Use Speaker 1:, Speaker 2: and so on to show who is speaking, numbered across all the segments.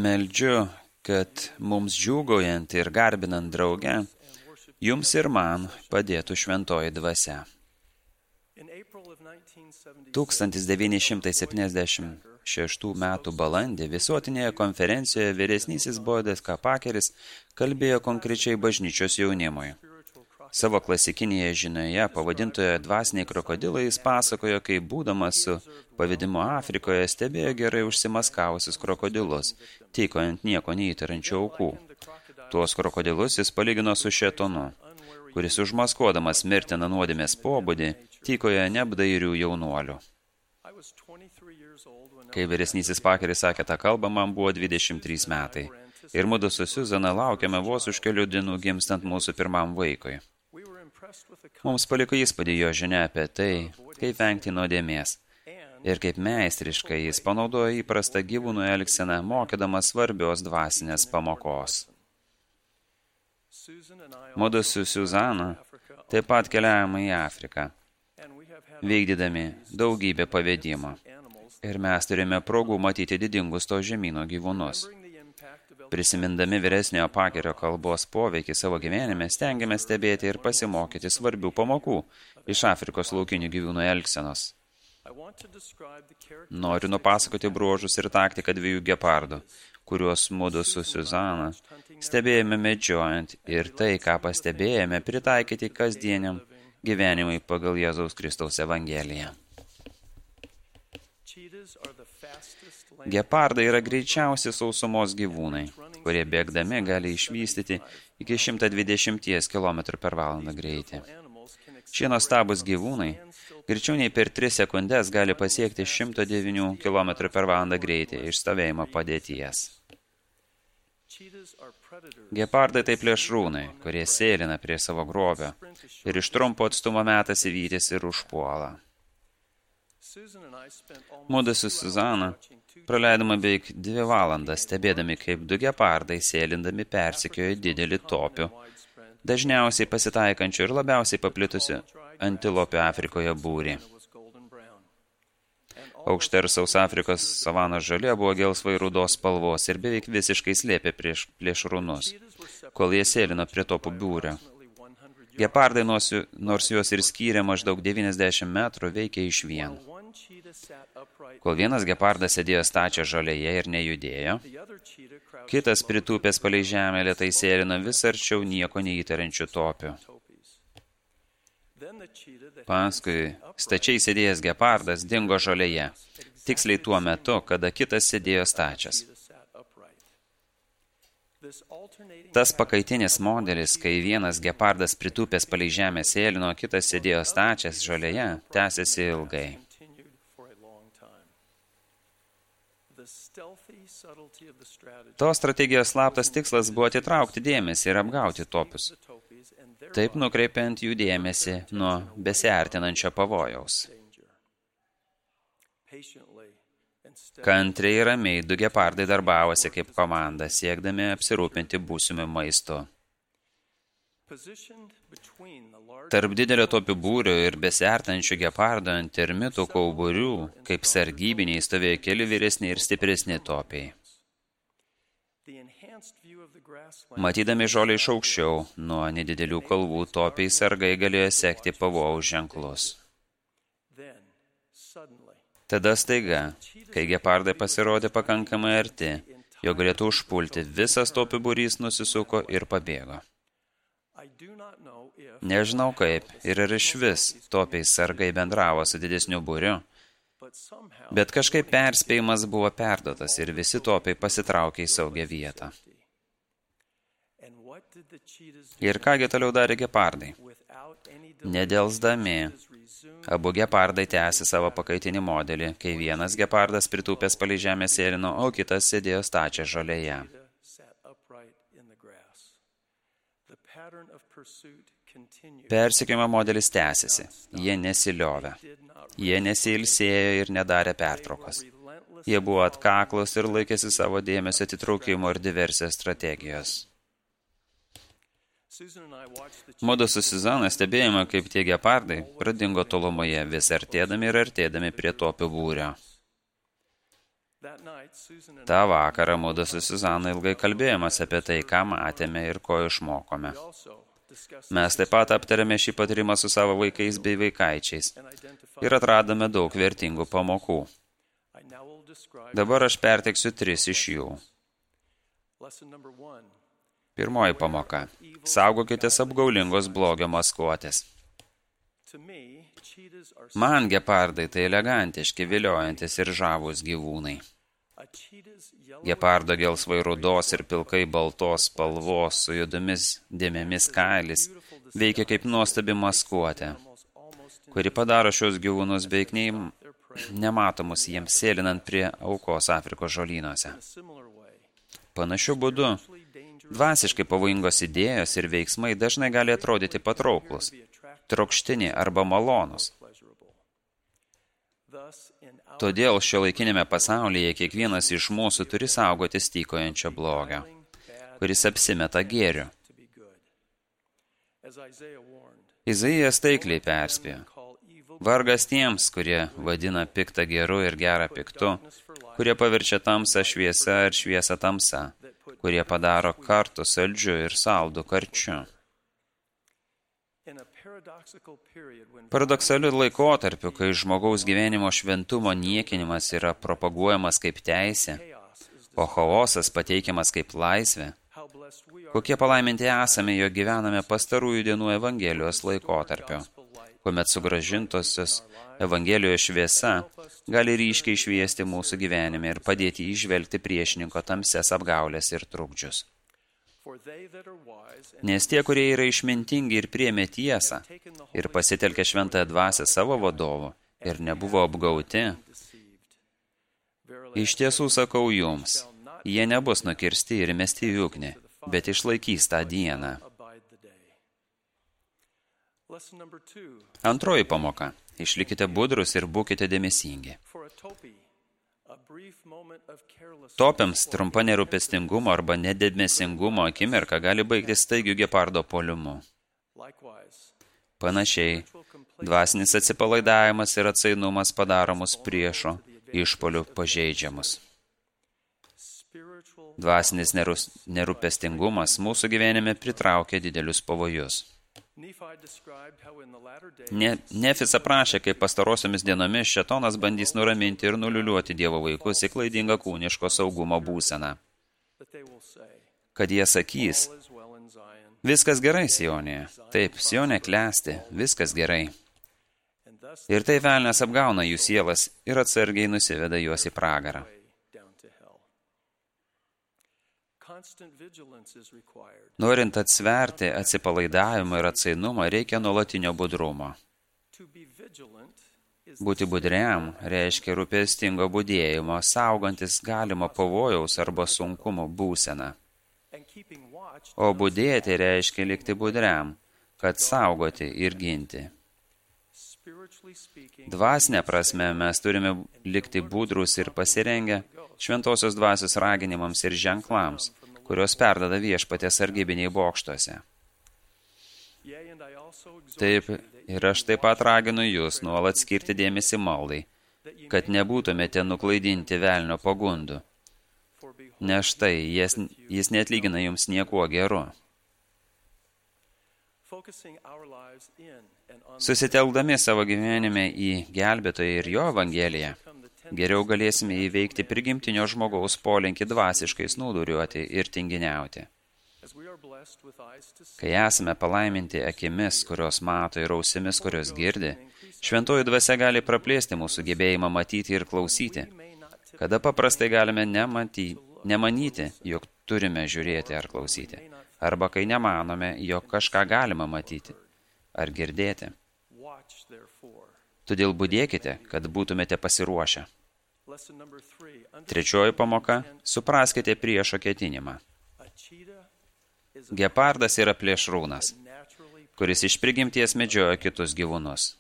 Speaker 1: Meldžiu, kad mums džiūgaujant ir garbinant drauge, jums ir man padėtų šventoji dvasia. 1976 metų balandį visuotinėje konferencijoje vyresnysis Boydas K. Pakeris kalbėjo konkrečiai bažnyčios jaunimui. Savo klasikinėje žinioje, pavadintoje Dvasiniai krokodilai, jis pasakojo, kaip būdamas su pavedimu Afrikoje stebėjo gerai užsimaskavusius krokodilus, tykojant nieko neįtarančių aukų. Tuos krokodilus jis palygino su šėtonu, kuris užmaskuodamas mirtiną nuodėmės pobūdį, tykoja neapdairių jaunuolių. Kai vyresnysis Pakeris sakė tą kalbą, man buvo 23 metai. Ir mudu su Suzana laukiame vos už kelių dienų gimstant mūsų pirmam vaikui. Mums paliko įspūdį jo žinia apie tai, kaip vengti nuodėmės. Ir kaip meistriškai jis panaudojo įprastą gyvūnų elgseną, mokydamas svarbios dvasinės pamokos. Mudu su Suzana taip pat keliavome į Afriką, vykdydami daugybę pavedimų. Ir mes turime progų matyti didingus to žemyno gyvūnus. Prisimindami vyresniojo Pakerio kalbos poveikį savo gyvenime, stengiame stebėti ir pasimokyti svarbių pamokų iš Afrikos laukinių gyvūnų elgsenos. Noriu nupasakoti bruožus ir taktiką 2 gepardų, kuriuos mudu su Suzana stebėjome medžiojant ir tai, ką pastebėjome, pritaikyti kasdieniam gyvenimui pagal Jėzaus Kristaus Evangeliją. Gepardai yra greičiausi sausumos gyvūnai, kurie bėgdami gali išvystyti iki 120 km/h greitį. Šie nuostabūs gyvūnai greičiau nei per 3 sekundes gali pasiekti 109 km/h greitį iš stovėjimo padėties. Gepardai tai plėšrūnai, kurie sėlina prie savo grobio ir iš trumpo atstumo metasi vytis ir užpuola. Mudu su Suzana praleidome beveik 2 valandas, stebėdami, kaip 2 gepardai sėlindami persekiojo didelį topių, dažniausiai pasitaikančių ir labiausiai paplitusių antilopių Afrikoje būrį. Aukšta ir sausa Afrikos savanos žolė buvo gelsvai rudos spalvos ir beveik visiškai slėpė prieš plėšrūnus, kol jie sėlino prie topų būrio. Gepardai, nors juos ir skyrė maždaug 90 metrų, veikė išvien. Kol vienas gepardas sėdėjo stačią žolėje ir nejudėjo, kitas pritūpęs palei žemę lėtai sėlino vis arčiau nieko neįtariančių topių. Paskui stačiai sėdėjęs gepardas dingo žolėje, tiksliai tuo metu, kada kitas sėdėjo stačias. Tas pakaitinis modelis, kai vienas gepardas pritūpęs palei žemę sėlino, kitas sėdėjo stačias žolėje, tęsėsi ilgai. Tos strategijos slaptas tikslas buvo atitraukti dėmesį ir apgauti topius, taip nukreipiant jų dėmesį nuo besiartinančio pavojaus. Kantriai ir ramiai 2 gepardai darbavosi kaip komanda, siekdami apsirūpinti būsimu maistu. Tarp didelio topių būrio ir besiartinančių gepardų ant termitų kauburių, kaip sargybiniai, stovėjo keli vyresni ir stipresni topiai. Matydami žolę iš aukščiau, nuo nedidelių kalvų topiai sargai galėjo sekti pavojaus ženklus. Tada staiga, kai gepardai pasirodė pakankamai arti, jo galėtų užpulti, visas topių būrys nusisuko ir pabėgo. Nežinau kaip ir iš vis topiai sargai bendravo su didesniu būriu, bet kažkaip perspėjimas buvo perduotas ir visi topiai pasitraukė į saugią vietą. Ir kągi toliau darė gepardai? Nedelsdami, abu gepardai tęsė savo pakaitinį modelį, kai vienas gepardas pritūpęs palei žemę sėlino, o kitas sėdėjo stačią žolėje. Persekiojimo modelis tęsėsi. Jie nesiliovė. Jie nesiilsėjo ir nedarė pertraukos. Jie buvo atkaklus ir laikėsi savo dėmesio atitraukimo ir diversijos strategijos. Mudu su Suzana stebėjome, kaip tie gepardai pradingo tolumoje, vis artėdami ir artėdami prie topių būrio. Ta vakarą mudu su Suzana ilgai kalbėjomės apie tai, ką matėme ir ko išmokome. Mes taip pat aptarėme šį patyrimą su savo vaikais bei vaikaičiais ir atradome daug vertingų pamokų. Dabar aš perteiksiu 3 iš jų. Pirmoji pamoka. Saugokitės apgaulingos blogio maskuotės. Man gepardai tai elegantiški, viliojantis ir žavūs gyvūnai. Gepardo gelsvai rudos ir pilkai baltos spalvos su juodomis dėmėmis kailis veikia kaip nuostabi maskuotė, kuri padaro šios gyvūnus beveik nematomus jiems sėlinant prie aukos Afrikos žolynuose. Panašiu būdu, dvasiškai pavojingos idėjos ir veiksmai dažnai gali atrodyti patrauklus, trokštini arba malonus. Todėl šiuolaikinėme pasaulyje kiekvienas iš mūsų turi saugotis tykojančio blogio, kuris apsimeta gėriu. Izaijas taikliai perspėjo. Vargas tiems, kurie vadina piktą geru ir gerą piktu, kurie paverčia tamsą šviesa ir šviesą tamsa, kurie padaro kartų saldžiu ir saldų karčiu. Paradoksaliu laikotarpiu, kai žmogaus gyvenimo šventumo niekinimas yra propaguojamas kaip teisė, o chaosas pateikiamas kaip laisvė, kokie palaiminti esame, jog gyvename pastarųjų dienų Evangelijos laikotarpio, kuomet sugrąžintosios Evangelijos šviesa gali ryškiai šviesti mūsų gyvenime ir padėti įžvelgti priešininko tamsias apgaulės ir trukdžius. Nes tie, kurie yra išmintingi ir priėmė tiesą ir pasitelkė šventąją dvasią savo vadovu ir nebuvo apgauti, iš tiesų sakau jums, jie nebus nukirsti ir mesti į ugnį, bet išlaikys tą dieną. Antroji pamoka. Išlikite budrus ir būkite dėmesingi. Topiams trumpa nerūpestingumo arba nedėmesingumo akimirka gali baigtis staigiu gepardo puolimu. Panašiai, dvasinis atsipalaidavimas ir atsainumas padaro mus priešo išpuolių pažeidžiamus. Dvasinis nerūpestingumas mūsų gyvenime pritraukia didelius pavojus. Nefis aprašė, kaip pastarosiomis dienomis šėtonas bandys nuraminti ir nuliuliuoti Dievo vaikus į klaidingą kūniško saugumo būseną. Kad jie sakys, viskas gerai Sionėje, taip, Sionė klesti, viskas gerai. Ir tai velnias apgauna jų sielas ir atsargiai nusiveda juos į pragarą. Norint atsverti atsipalaidavimą ir atsainumą, reikia nuolatinio budrumo. Būti budriam reiškia rūpestingo budėjimo, saugantis galimo pavojaus arba sunkumo būseną. O budėti reiškia likti budriam, kad saugoti ir ginti. Dvasinė prasme mes turime likti budrus ir pasirengę šventosios dvasios raginimams ir ženklams, kurios perdada viešpaties sargybiniai bokštuose. Taip, ir aš taip pat raginu jūs nuolat skirti dėmesį maldai, kad nebūtumėte nuklaidinti velnio pagundų. Nes štai, jis neatlygina jums niekuo geru. Susitelkdami savo gyvenime į gelbėtoją ir jo evangeliją, geriau galėsime įveikti prigimtinio žmogaus polinkį dvasiškai snūduriuoti ir tinginiauti. Kai esame palaiminti akimis, kurios mato, ir ausimis, kurios girdi, šventoji dvasia gali praplėsti mūsų gebėjimą matyti ir klausyti, kada paprastai galime nemanyti, jog turime žiūrėti ar klausyti, arba kai nemanome, jog kažką galima matyti ar girdėti. Todėl budėkite, kad būtumėte pasiruošę. Trečioji pamoka – supraskite priešo ketinimą. Gepardas yra plėšrūnas, kuris iš prigimties medžioja kitus gyvūnus.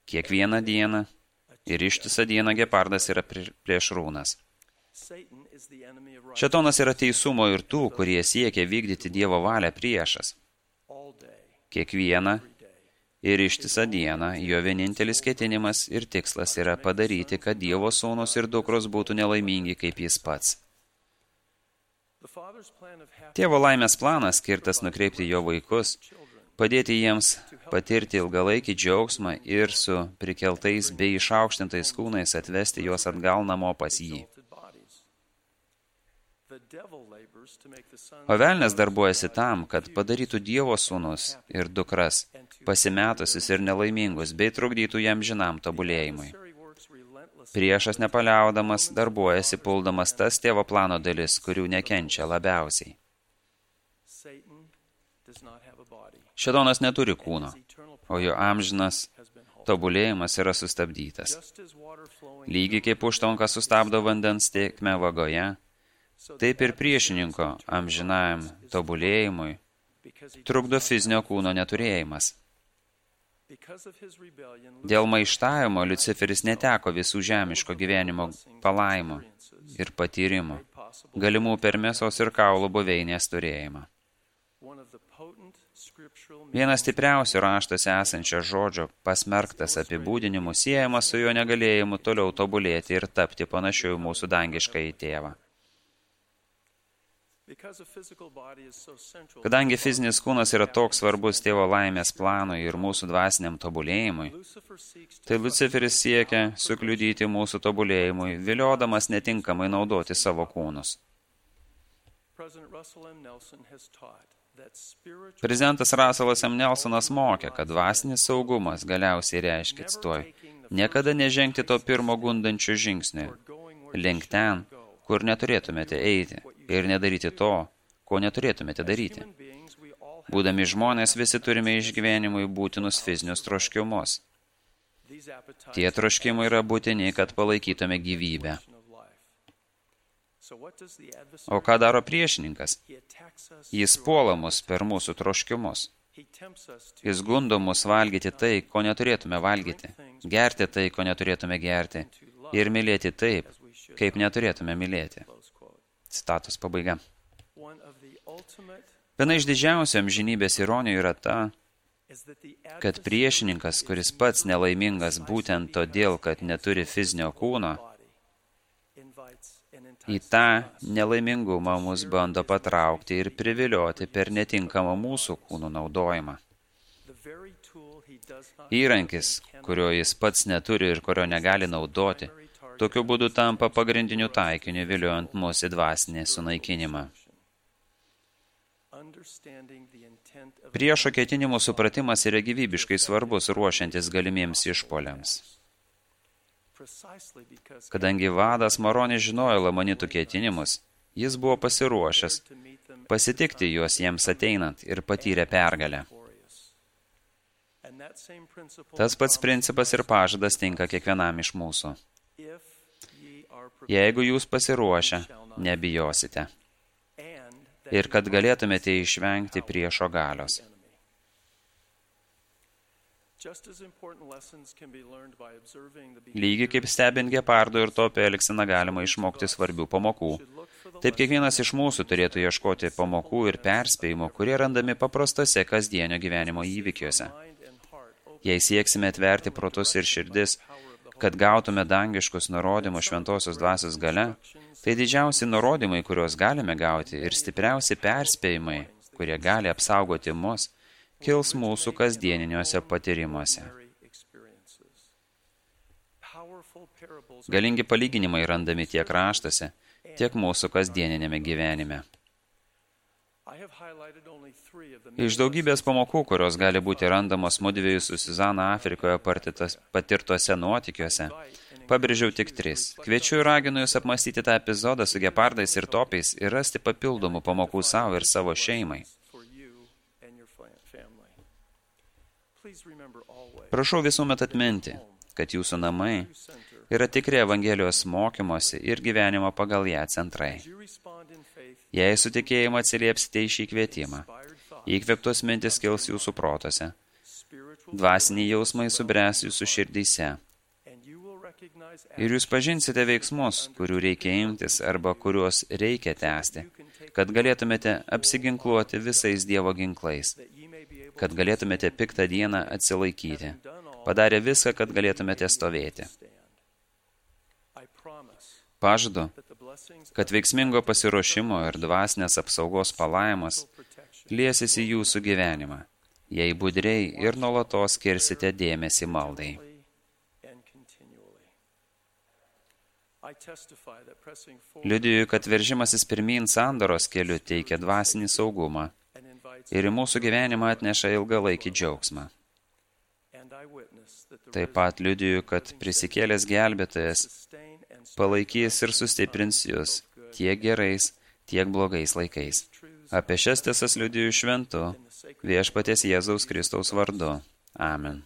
Speaker 1: Kiekvieną dieną ir ištisą dieną gepardas yra plėšrūnas. Šėtonas yra teisumo ir tų, kurie siekia vykdyti Dievo valią priešas. Kiekvieną Ir ištisą dieną jo vienintelis ketinimas ir tikslas yra padaryti, kad Dievo sūnus ir dukros būtų nelaimingi kaip jis pats. Tėvo laimės planas skirtas nukreipti jo vaikus, padėti jiems patirti ilgalaikį džiaugsmą ir su prikeltais bei išaukštintais kūnais atvesti juos atgal namo pas jį. O velnias darbuojasi tam, kad padarytų Dievo sūnus ir dukras pasimetusius ir nelaimingus, bei trukdytų jam žinam tobulėjimui. Priešas nepaliaudamas darbuojasi puldamas tas tėvo plano dalis, kurių nekenčia labiausiai. Šėtonas neturi kūno, o jo amžinas tobulėjimas yra sustabdytas. Lygiai kaip užtvanka sustabdo vandens tėkmę vagoje, taip ir priešininko amžinajam tobulėjimui trukdo fizinio kūno neturėjimas. Dėl maištavimo Liuciferis neteko visų žemiško gyvenimo palaimų ir patyrimų, galimų per mėsos ir kaulų buveinės turėjimą. Vienas stipriausių raštuose esančio žodžio pasmerktas apibūdinimu siejamas su jo negalėjimu toliau tobulėti ir tapti panašiu į mūsų dangiškąjį tėvą. Kadangi fizinis kūnas yra toks svarbus tėvo laimės planui ir mūsų dvasiniam tobulėjimui, tai Liuciferis siekia sukliudyti mūsų tobulėjimui, viliodamas netinkamai naudoti savo kūnus. Prezidentas Russellas M. Nelsonas mokė, kad dvasinis saugumas galiausiai reiškia, cituoju, niekada nežengti to pirmo gundančio žingsnio, link ten, kur neturėtumėte eiti, ir nedaryti to, ko neturėtumėte daryti. Būdami žmonės, visi turime išgyvenimui būtinus fizinius troškimus. Tie troškimai yra būtini, kad palaikytume gyvybę. O ką daro priešininkas? Jis puola mus per mūsų troškimus. Jis gundo mus valgyti tai, ko neturėtume valgyti, gerti tai, ko neturėtume gerti, ir mylėti taip, kaip neturėtume mylėti. Citatos pabaiga. Viena iš didžiausių amžinybės ironijų yra ta, kad priešininkas, kuris pats nelaimingas būtent todėl, kad neturi fizinio kūno, į tą nelaimingumą mus bando patraukti ir privilioti per netinkamą mūsų kūnų naudojimą. Įrankis, kurio jis pats neturi ir kurio negali naudoti, tokiu būdu tampa pagrindiniu taikiniu viliojant mus į dvasinį sunaikinimą. Priešo ketinimų supratimas yra gyvybiškai svarbus ruošiantis galimiems išpuoliams. Kadangi vadas Maronis žinojo lamanitų ketinimus, jis buvo pasiruošęs pasitikti juos jiems ateinant ir patyrė pergalę. Tas pats principas ir pažadas tinka kiekvienam iš mūsų. Jeigu jūs pasiruošę, nebijosite. Ir kad galėtumėte išvengti priešo galios. Lygiai kaip stebint gepardo ir topio elgseną galima išmokti svarbių pamokų. Taip kiekvienas iš mūsų turėtų ieškoti pamokų ir perspėjimų, kurie randami paprastose kasdienio gyvenimo įvykiuose. Jei sieksime atverti protus ir širdis, kad gautume dangiškus nurodymus šventosios dvasios gale, tai didžiausi nurodymai, kuriuos galime gauti, ir stipriausi perspėjimai, kurie gali apsaugoti mus, kils mūsų kasdieniniuose patyrimuose. Galingi palyginimai randami tiek raštuose, tiek mūsų kasdieninėme gyvenime. Iš daugybės pamokų, kurios gali būti randamos mudviejų su Suzana Afrikoje patirtuose nuotykiuose, pabrėžiau tik 3. Kviečiu ir raginu jūs apmąstyti tą epizodą su gepardais ir topiais ir rasti papildomų pamokų savo ir savo šeimai. Prašau visuomet atminti, kad jūsų namai yra tikri Evangelijos mokymosi ir gyvenimo pagal ją centrai. Jei su tikėjimu atsiliepsite į šį kvietimą, įkvėptos mintis kils jūsų protose, dvasiniai jausmai subręs jūsų širdyse, ir jūs pažinsite veiksmus, kurių reikia imtis arba kuriuos reikia tęsti, kad galėtumėte apsiginkluoti visais Dievo ginklais, kad galėtumėte piktą dieną atsilaikyti. Padarė viską, kad galėtumėte stovėti. Pažadu, kad veiksmingo pasiruošimo ir dvasinės apsaugos palaimos liesis į jūsų gyvenimą, jei budriai ir nuolatos skirsite dėmesį maldai. Liudiju, kad veržimasis pirmyn sandoros keliu teikia dvasinį saugumą ir į mūsų gyvenimą atneša ilgalaikį džiaugsmą. Taip pat liudiju, kad prisikėlęs gelbėtojas palaikys ir sustiprins jūs tiek gerais, tiek blogais laikais. Apie šias tiesas liudiju šventu Viešpaties Jėzaus Kristaus vardu. Amen.